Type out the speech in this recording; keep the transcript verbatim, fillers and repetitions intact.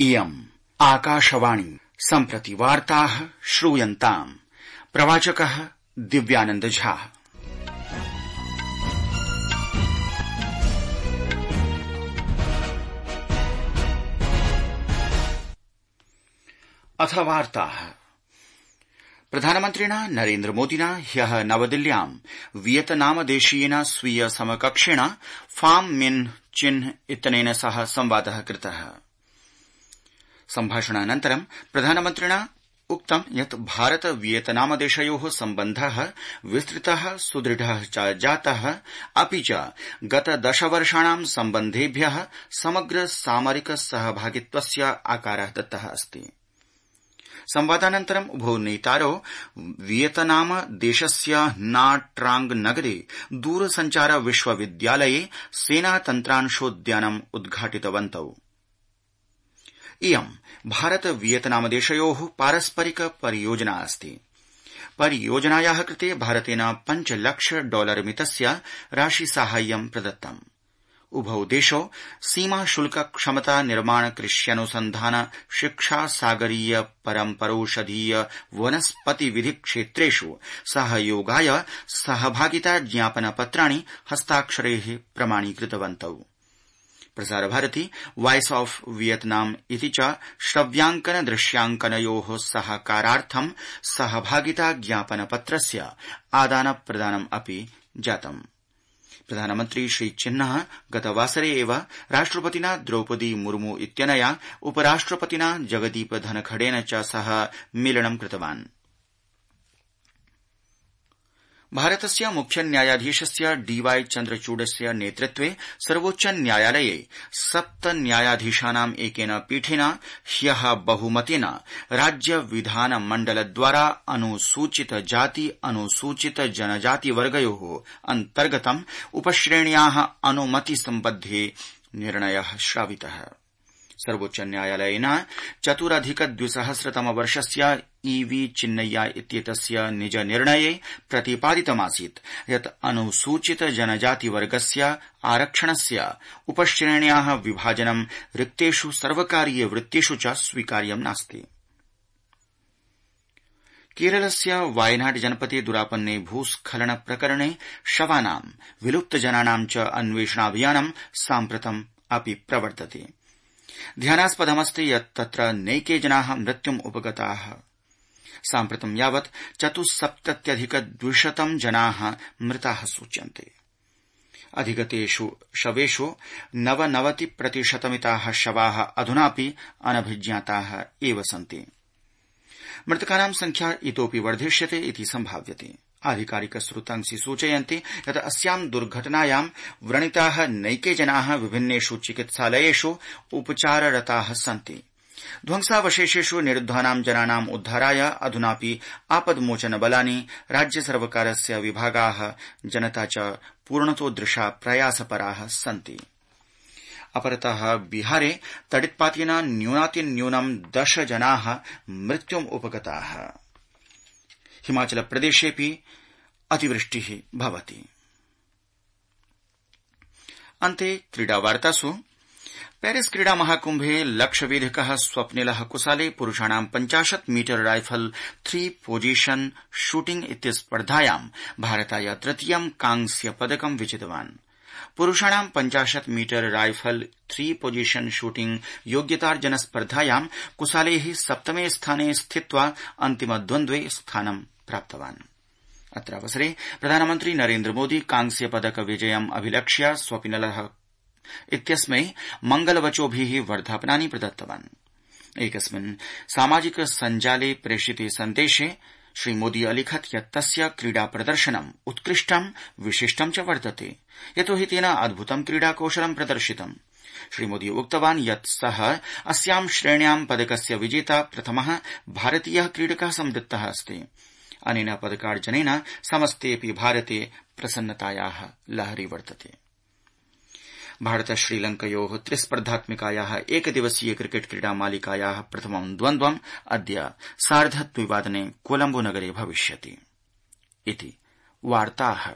इयम् आकाशवाणी सम्प्रति वार्ताः श्रूयन्ताम्। प्रवाचकः दिव्यानंद झा। अथ वार्ताः। प्रधानमन्त्रिणा नरेन्द्र मोदिना ह्यः नवदिल्ल्यां वियतनाम देशीयेन स्वीय समकक्षेण फाम मिन चिन इत्यनेन सह संवादः कृतः। सम्भाषणानन्तरं प्रधानमन्त्रिणा उक्तं यत् भारत वियतनाम देशयोः सम्बन्धः विस्तृतः सुदृढः च जातः, अपि च गत दशवर्षाणां सम्बन्धेभ्यः समग्र सामरिक सहभागित्वस्य आकारः दत्तः अस्ति। संवादानन्तरं उभौ नेतारौ वियतनाम देशस्य ना ट्रांग नगरे दूरसञ्चार विश्वविद्यालये सेनातन्त्रांशोद्यानम् उद्घाटितवन्तौ। इयं भारत वियतनाम देशयोः पारस्परिक परियोजना अस्ति। परियोजनायाः कृते भारतेन पञ्चलक्ष डॉलर मितस्य राशिसाहाय्यं प्रदत्तम्। उभौ देशौ सीमा शुल्क क्षमता निर्माण कृष्यनुसन्धान शिक्षा सागरीय परम्परोषधीय वनस्पति विधि क्षेत्रेषु सहयोगाय सहभागिता ज्ञापन पत्राणि हस्ताक्षरैः प्रमाणीकृतवन्तौ। प्रसारभारती वॉइस ऑफ वियतनाम इति च श्रव्याङ्कन दृश्याङ्कनयोः सहकारार्थं सहभागिता ज्ञापन पत्रस्य आदान प्रदानम् अपि जातम्। प्रधानमन्त्री श्रीचिन्नः गतवासरे एव राष्ट्रपतिना द्रौपदी मुर्मू इत्यनया उपराष्ट्रपतिना जगदीप धनखडेन च सह मेलनं कृतवान्। भारतस्य मुख्य न्यायाधीशस्य डीवाई चन्द्रचूडस्य नेतृत्वे सर्वोच्च न्यायालये सप्त न्यायाधीशानाम् एकेन पीठेन ह्यः बहुमतेन राज्य विधान मण्डलद्वारा अनुसूचित जाति अनुसूचित जनजाति वर्गयोः अन्तर्गतम् उपश्रेण्याः अनुमति सम्बद्धे निर्णयः श्रावितः। सर्वोच्च न्यायालयेन चतुरधिक द्विसहस्रतम वर्षस्य ईवी चिन्नय्या इत्येतस्य निज निर्णये प्रतिपादितमासीत् यत् अनुसूचित जनजाति वर्गस्य आरक्षणस्य उपश्रेण्याः विभाजनं रिक्तेषु सर्वकारीय वृत्तिषु च स्वीकार्यं नास्ति। केरलस्य वायनाड जनपदे दुरापन्ने भूस्खलन प्रकरणे शवानां विलुप्तजनानां च अन्वेषणाभियानं साम्प्रतम् अपि प्रवर्तते। ध्यानास्पदमस्ति यत् तत्र नैके जनाः मृत्युम् उपगताः। साम्प्रतं यावत् चतुस्सप्तत्यधिक द्विशतं जनाः मृताः सूच्यन्ते। अधिगतेषु शवेषु नवनवति प्रतिशतमिताः शवाः अधुनापि अनभिज्ञाताः एव सन्ति। मृतकानां संख्या इतोपि वर्धिष्यते इति सम्भाव्यते। आधिकारिक स्रोतांसि सूचयन्ति यत् अस्यां दुर्घटनायां व्रणिताः नैके जनाः विभिन्नेषु चिकित्सालयेषु उपचाररताः सन्ति। ध्वंसावशेषेषु निरुद्धानां जनानाम् उद्धाराय अधुनापि आपद्मोचनबलानि राज्यसर्वकारस्य विभागाः जनता च पूर्णतोदृशा प्रयासपराः सन्ति। अपरतः बिहारे तडित्पातेन न्यूनातिन्यूनं दश जनाः मृत्युम् उपगताः। हिमाचल प्रदेशेऽपि अतिवृष्टिः भवति। अन्ते क्रीडावार्तासु पेरिस क्रीडा महाकुम्भे लक्ष्यवेधिकः स्वप्निलः कुसाले पुरुषाणां पञ्चाशत् metre rifle three position shooting इत्यस्पर्धायां भारताय तृतीयं कांस्य पदकं विजितवान्। पुरुषाणां पञ्चाशत् metre rifle three position shooting योग्यतार्जन स्पर्धायां कुसालेः सप्तमे स्थाने स्थित्वा अन्तिमद्वन्द्वे स्थानं प्राप्तवान्। अत्रावसरे प्रधानमन्त्री नरेन्द्र मोदी कांस्य पदक विजयम् अभिलक्ष्य स्वप्निलः इत्यस्मै मंगलवचोभिः वर्धापनानि प्रदत्तवान्। एकस्मिन् सामाजिक सञ्जाले प्रेषिते सन्देशे श्रीमोदी अलिखत् यत् तस्य क्रीडा प्रदर्शनम् उत्कृष्टं विशिष्टं च वर्तते, यतोहि तेन अद्भुतं क्रीडाकौशलं प्रदर्शितम्। श्रीमोदी उक्तवान् यत् सः अस्यां श्रेण्यां पदकस्य विजेता प्रथमः भारतीयः क्रीडकः संवृत्तः अस्ति। अनेन पदकार्जनेन समस्तेऽपि भारते प्रसन्नतायाः लहरी वर्तते। भारत श्रीलङ्कयोः त्रिस्पर्धात्मिकायाः एकदिवसीय क्रिकेट क्रीडा मालिकायाः प्रथमं द्वन्द्वम् अद्य सार्ध द्विवादने कोलम्बो नगरे भविष्यति। इति वार्ताः।